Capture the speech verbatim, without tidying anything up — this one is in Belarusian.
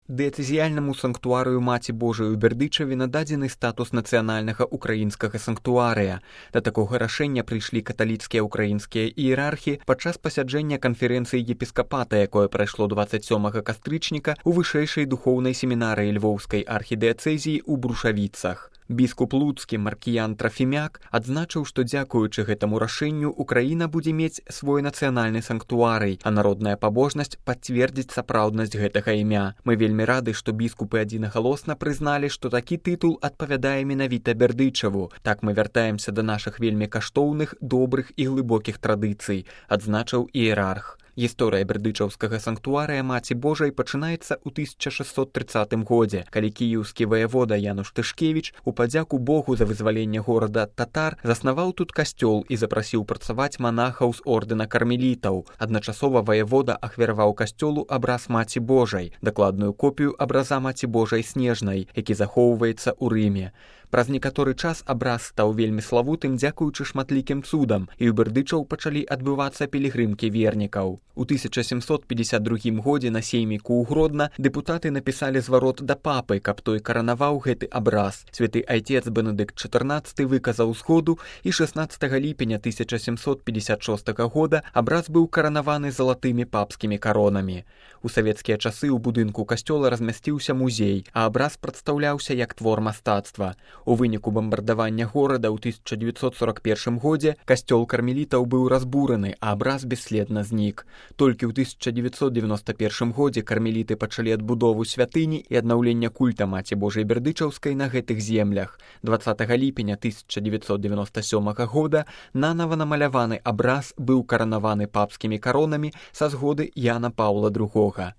Дыяцэзіяльнаму санктуарыю Маці Божай у Бердычаве нададзены статус нацыянальнага ўкраінскага санктуарыя. Да такога рашэння прыйшлі каталіцкія ўкраінскія іерархі падчас пасяджэння канферэнцыі епіскапата, якое прайшло дваццаць сёмага кастрычніка ў вышэйшай духоўнай семінарыі Львоўскай архідыяцэзіі ў Брушавіцах. Біскуп Луцкі Маркіян Трафімяк адзначыў, што дзякуючы гэтаму рашэнню Украіна будзе мець свой нацыянальны санктуарый, а народная пабожнасць пацвердзіць сапраўднасць гэтага імя. Мы вельмі рады, што біскупы адзінагалосна прызналі, што такі тытул адпавядае менавіта Бердычаву. Так мы вяртаемся да нашых вельмі каштоўных, добрых і глыбокіх традыцый, адзначыў іерарх. Гісторыя бердычаўскага санктуарыя Маці Божай пачынаецца ў тысяча шэсцьсот трыццатым годзе, калі кіеўскі ваявода Януш Тышкевіч у падзяку Богу за вызваленне горада ад татар заснаваў тут касцёл і запрасіў працаваць манахаў з ордэна кармелітаў. Адначасова ваявода ахвяраваў касцёлу абраз Маці Божай, дакладную копію абраза Маці Божай Снежнай, які захоўваецца ў Рыме. Праз некаторы час абраз стаў вельмі славутым дзякуючы шматлікім цудам, і ў Бердычаў пачалі адбывацца пілігрымкі вернікаў. У тысяча сямсот пятьдесят другім годзе на сейміку ў Гродна дэпутаты напісалі зварот да папы, каб той каранаваў гэты абраз. Святы айцец Бенедыкт чатырнаццаты выказаў згоду, і шэснаццатага ліпеня тысяча сямсот пятьдесят шостага года абраз быў каранаваны залатымі папскімі каронамі. У савецкія часы ў будынку касцёла размясціўся музей, а абраз прадстаўляўся як твор мастацтва. У выніку бамбардавання горада ў тысяча дзевяцьсот сорок першым годзе касцёл кармелітаў быў разбураны, а абраз бесследна знік. Толькі ў тысяча дзевяцьсот девяносто першым годзе кармеліты пачалі адбудову святыні і аднаўлення культа Маці Божай Бердычаўскай на гэтых землях. дваццатага ліпеня тысяча дзевяцьсот девяносто сёмага года нанава намаляваны абраз быў каранаваны папскімі каронамі са згоды Яна Паўла другога.